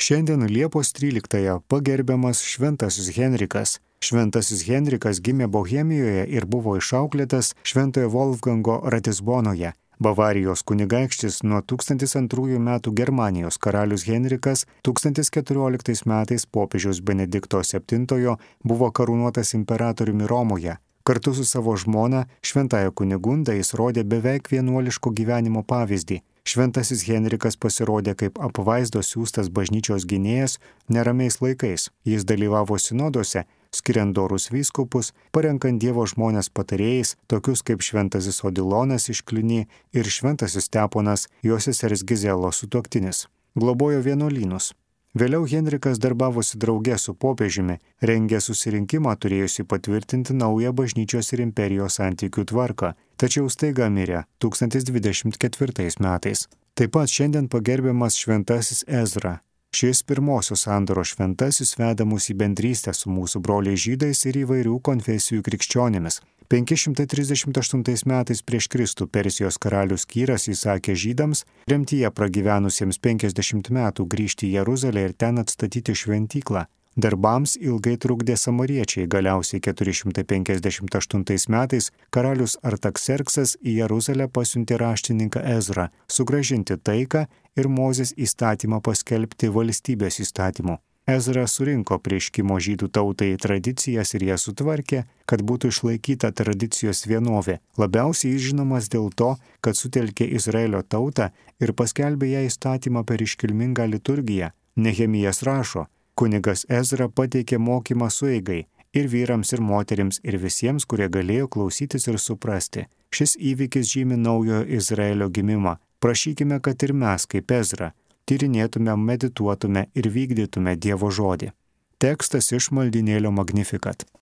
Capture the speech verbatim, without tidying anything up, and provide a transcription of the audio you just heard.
Šiandien Liepos tryliktąją pagerbiamas Šventasis Henrikas. Šventasis Henrikas gimė Bohemijoje ir buvo išauklėtas Šventojo Wolfgango Ratisbonoje. Bavarijos kunigaikštis nuo tūkstantis antrųjų metų Germanijos karalius Henrikas tūkstantis keturioliktais metais popiežiaus Benedikto septintojo buvo karūnuotas imperatoriumi Romoje. Kartu su savo žmona Šventąja Kunigunda jis rodė beveik vienuoliško gyvenimo pavyzdį. Šventasis Henrikas pasirodė kaip apvaizdos siųstas bažnyčios gynėjas neramiais laikais. Jis dalyvavo sinoduose, skiriant dorus vyskupus, parenkant Dievo žmonės patarėjais, tokius kaip Šventasis Odilonas iš Kliuny ir Šventasis Steponas, jo sesers Gizelos sutuoktinis. Globojo vienuolynus. Vėliau Henrikas darbavosi drauge su popiežiumi, rengė susirinkimą turėjusi patvirtinti naują bažnyčios ir imperijos santykių tvarką, tačiau staiga mirė tūkstantis dvidešimt ketvirtais metais. Taip pat šiandien pagerbiamas Šventasis Ezra. Šis pirmosios sandoros šventasis veda mus į bendrystę su mūsų broliais žydais ir įvairių konfesijų krikščionimis. penki šimtai trisdešimt aštuntais metais prieš Kristų Persijos karalius Kyras įsakė žydams, remtyje pragyvenusiems penkiasdešimt metų grįžti į Jeruzalę ir ten atstatyti šventyklą. Darbams ilgai trukdė samariečiai, galiausiai keturi šimtai penkiasdešimt aštuntais metais karalius Artakserksas į Jeruzalę pasiuntė raštininką Ezrą, sugrąžinti taiką ir Mozės įstatymą paskelbti valstybės įstatymu. Ezra surinko prieškimo žydų tautai tradicijas ir jas sutvarkė, kad būtų išlaikyta tradicijos vienovė. Labiausiai jis žinomas dėl to, kad sutelkė Izraelio tautą ir paskelbė ją įstatymą per iškilmingą liturgiją. Nehemijas rašo: kunigas Ezra pateikė mokymą sueigai ir vyrams, ir moterims, ir visiems, kurie galėjo klausytis ir suprasti. Šis įvykis žymi naujojo Izraelio gimimą. Prašykime, kad ir mes, kaip Ezra, tyrinėtume, medituotume ir vykdytume Dievo žodį. Tekstas iš maldynėlio Magnificat.